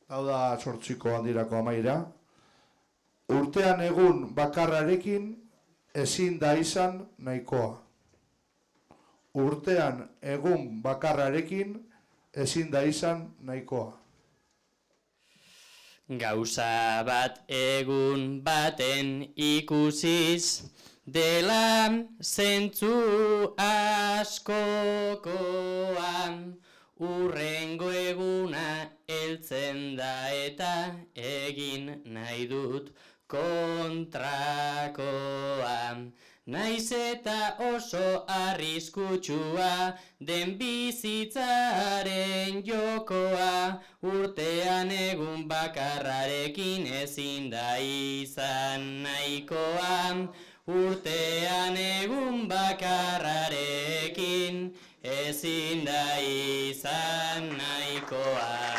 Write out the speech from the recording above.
hau da 8ko handirako amaira. Urtean egun bakarrarekin ezin da izan nahikoa. Urtean egun bakarrarekin ezin da izan nahikoa. Gauza bat egun baten ikusiz, dela zentzu askokoan, urrengo eguna heltzen da eta egin nahi dut kontrakoa. Naiz eta oso arriskutsua den bizitzaren jokoa, urtean egun bakarrarekin ezin da izan nahikoa. Urtean egun bakarrarekin ezin da izan nahikoa.